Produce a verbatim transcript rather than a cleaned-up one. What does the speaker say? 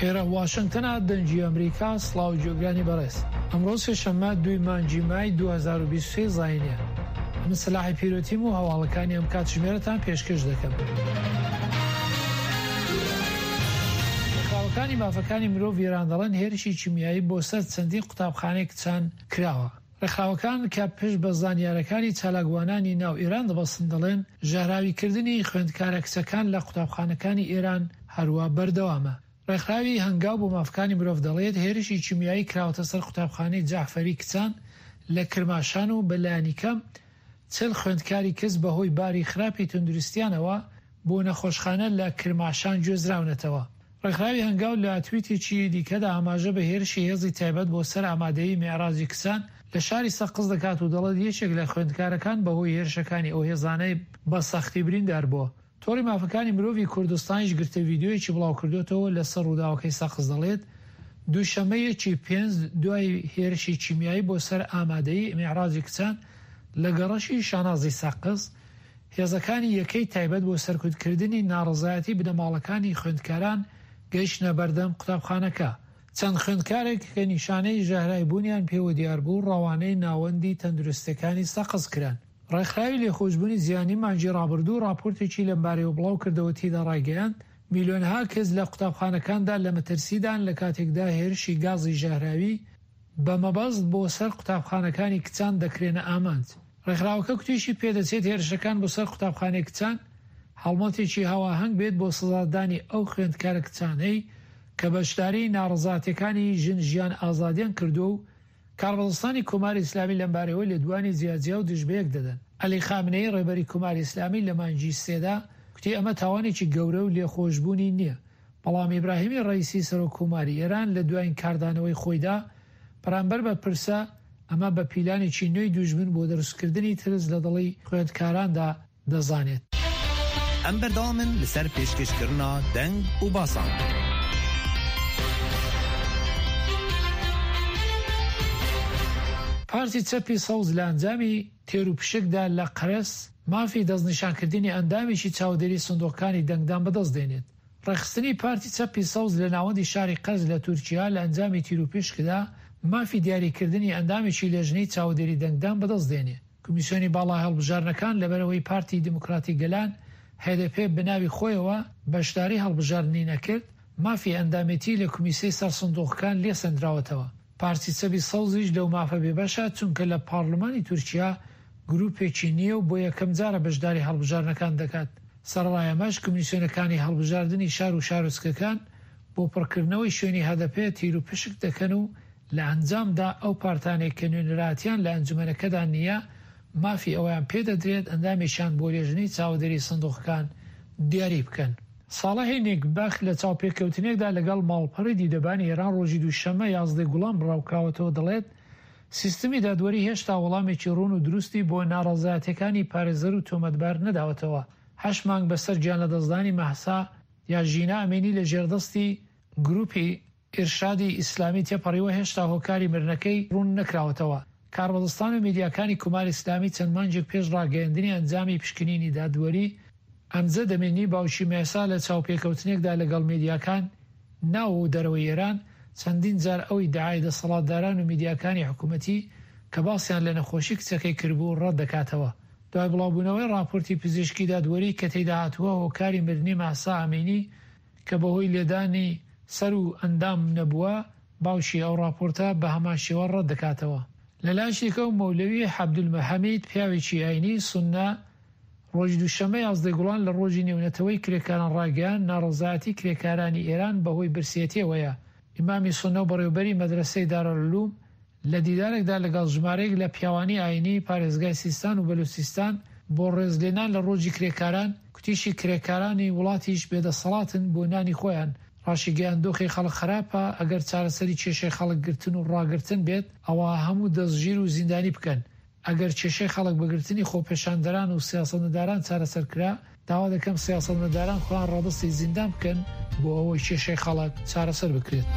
ئێرە واشنگتنە، دەنگی ئەمریکا. سڵاو گوێگرانی بەڕێز، ئەمڕۆ سێشەممە دووی مانگی مای دوو هەزار و بیست و سێ زاینیە. من سەلاحی پیرۆتیم و هەواڵەکانی ئەم کاتژمێرەتان پێشکەش دەکەم. ڕێکخراوەکانی مافەکانی مرۆڤ ئێران دەڵێن هێرشی کیمیایی بۆ سەر چەندین قوتابخانەی کچان کراوە. ڕێکخراوەکان کە پشت بە زانیارەکانی چالاکوانانی ناو ئێران دەبەستن دەڵێن ژەهراویکردنی خوێندکارە کچەکان لە قوتابخانەکانی ئێران هەروە بەردەوامە. ڕێکخراوی هەنگاو بۆ مافەکانی مرۆڤ دەڵێت هێرشی کیمیایی کراوەتە سەر قوتابخانەی جەعفەری کچان لە کرماشان و بەلایەنی کەم چل خوێندکاری کچ بەهۆی باری خراپی تەندروستیانەوە بۆ نەخۆشخانە لە کرماشان گوێزراونەتەوە. ڕێکخراوی هەنگاو لە تویتێکی دیکەدا ئاماژە بە هێرشی هێزی تایبەت بۆ سەر ئامادەیی میعراجی کچان لە شاری سەقز دەکات و دەڵێت یەکێک لە خوێندکارەکان بەهۆی هێرشەکانی ئەو هێزانەی بە سەختی بریندار بووە. تۆڕی مافەکانی مرۆڤی کوردستانیش گرتە ڤیدیۆیەکی بڵاوکردوێتەوە لەسەر ڕووداوەکەی سەقز دەڵێت دووشەممە یەکی پێنج دوای هێرشی کیمیایی بۆ سەر ئامادەیی میعراجی کچان لە گەڕەکی شانازی سەقز، هێزەکانی یەکەی تایبەت بۆ سەرکوتکردنی ناڕەزایەتی بنەماڵەکانی خوێندکاران گەیشتنە بەردەم قوتابخانەکە. چەند خوێندکارێک کە نیشانەی ژەهرای بوونیان پێوە دیار بوو ڕەوانەی ناوەندی تەندروستیەکانی سەقز کران. ڕێکخراوی لێخۆشبوونی جیهانی مانگی ڕابردوو ڕاپۆرتێکی لەمبارەیەوە بڵاو کردەوە تێیدا ڕایگەیاند میلیۆنها کەس لە قوتابخانەکاندا لە مەترسیدان لە کاتێکدا هێرشی گازی ژەهراوی بە مەبەست بۆ سەر قوتابخانەکانی کچان دەکرێنە ئامانج. ڕێکخراوەکە کوتیشی پێدەچێت هێرشەکان بۆ سەر قوتابخانەی کچان هەڵمەتێکی هاواهەنگ بێت بۆ سزادانی ئەو خوێندکارە کچانەی کە بەشداری ناڕەزاتیەکانی ژن ژیان ئازادیان کردووە و کاربەدەستانی کۆماری ئیسلامی لەمبارەیەوە لێدوانی جیاجیا و دژبەیەک دەدەن. عەلی خامنەیی ڕێبەری کۆماری ئیسلامی لە مانگی سێدا کوتی ئەمە تاوانێکی گەورە و لێخۆشبوونی نییە، بەڵام ئیبراهیمی ڕەئیسی سەرۆک کۆماری ئێران لە دوایین کاردانەوەی خۆیدا بەرامبەر بە پرسە ئەمە بە پیلانێکی نوێی دوژمن بۆ دروستکردنی ترس لە دڵی خوێندکاراندا دەزانێت. ئەم بەردەوامن لەسەر پێشکەشکردنا دەنگ و باسان. پارتی چەپی سەوز لە ئەنجامی تێروپشکدا لە قەرەس مافی دەستنیشانکردنی ئەندامێکی چاودێری سندوقەکانی دەنگدان بەدەست دێنێت. ڕێکخستنی پارتی چەپی سەوز لە ناوەندی شاری قەرز لە تورکیا لە ئەنجامی تیروپشکدا مافی دیاریکردنی ئەندامێکی لێژنەی چاودێری دەنگدان بەدەست دێنێ. کۆمیسیۆنی باڵا هەڵبژاردنەکان لەبەرەوەی پارتی دیموکراتی گەلان هەدەپێ بەناوی خۆیەوە بەشداری هەڵبژاردنی نەکرد، مافی ئەندامێتی لە کۆمیسەی سەر سندوقەکان لێسەندراوەتەوە. پارتی چەپی سەوزیش لەو مافە بێبەشە چونکە لە پارلمانی تورکیا گروپێکی نییە و بۆ یەکەم جارە بەشداری هەڵبژاردنەکان دەکات. سەرەڕای ئەمەش کۆمیسیۆنەکانی هەڵبژاردنی شار و شارۆچکەکان بۆ پڕکردنەوەی شوێنی هەدەپێ تیروپشک دەکەن و لە ئەنجامدا ئەو پارتانێک کە نوێنەراتیان لە ئەنجومەنەکەدا نییە مافی ئەویان پێدەدرێت ئەندامێکیان بۆ لێژنەی چاودێری سندوقەکان دیاری بکەن. ساڵحی نیکبەخت لە چاوپێکەوتنێکدا لەگەڵ ماڵپەڕی دیدەبانی ئێران ڕۆژی دووشەممە یازدەی گوڵان بڵاوکراوەتەوە دەڵێت سیستمی دادوەری هێشتا وەڵامێکی ڕوون و دروستی بۆ ناڕەزایەتیەکانی پارێزەر و تۆمەتبار نەداوەتەوە. هەشت مانگ بەسەر گیان لەدەستدانی مەهسا یا ژینا ئەمینی لە ژێردەستی گروپی ئیرشادی ئیسلامی تێپەڕیوە هێشتا هۆکاری مرنەکەی ڕوون نەکراوەتەوە. کاربەدەستان و میدیاکانی کۆماری ئیسلامی چەند مانگێک پێش ڕاگەیەندنی ئەنجامی پشکنینی دادوەری ئەمجەد ئەمینی باوکی مەهسا لە چاوپێکەوتنێکدا لەگەڵ میدیاکان ناو و دەرەوەی ئێران چەندین جار ئەو ئیدعای دەسەڵاتداران و میدیاکانی حکوومەتی کە باسیان لە نەخۆشی کچەکەی کردبوو ڕەت دەکاتەوە. دوای بڵاوبوونەوەی ڕاپۆرتی پزیشکی دادوەری کە تێیدا هاتووە هۆکاری مردنی مەهسا ئەمینی کە بەهۆی لێدانی سەر و ئەندام نەبووە، باوکی ئەو ڕاپۆرتە بە هەمان شێوە ڕەت دەکاتەوە. لە لایەکیکەوە مەولەوی عەبدولحەمید پیاوێکی ئاینی سوننە ڕۆژی دووشەممە یازدەی گوڵان لە ڕۆژی نێونەتەوەی کرێکاران ڕایگەیاند ناڕەزایەتی کرێکارانی ئێران بەهۆی برسێتیەوەیە. ئیمامی سوننە و بەڕێوبەری مەدرەسەی دارالعلوم لە دیدارێکدا لەگەڵ ژمارەیەک لە پیاوانی ئاینی پارێزگای سیستان و بەلوچستان بۆ ڕێزلێنان لە ڕۆژی کرێکاران کوتیشی کرێکارانی وڵاتیش بێدەسەڵاتن بۆ نانی خۆیان. ڕاشیگەیاند دۆخی خەڵک خراپە، ئەگەر چارەسەری کێشەی خەڵک گرتن و ڕاگرتن بێت ئەوە هەموو دەستگیر و زیندانی بکەن. ئەگەر کێشەی خەڵک بەگرتنی خۆپێشاندەران و سیاسەتمەداران چارەسەر کرا، داوا دەکەم سیاسەتمەداران خۆیان ڕادەستی زیندان بکەن بۆ ئەوەی کێشەی خەڵک چارەسەر بکرێت.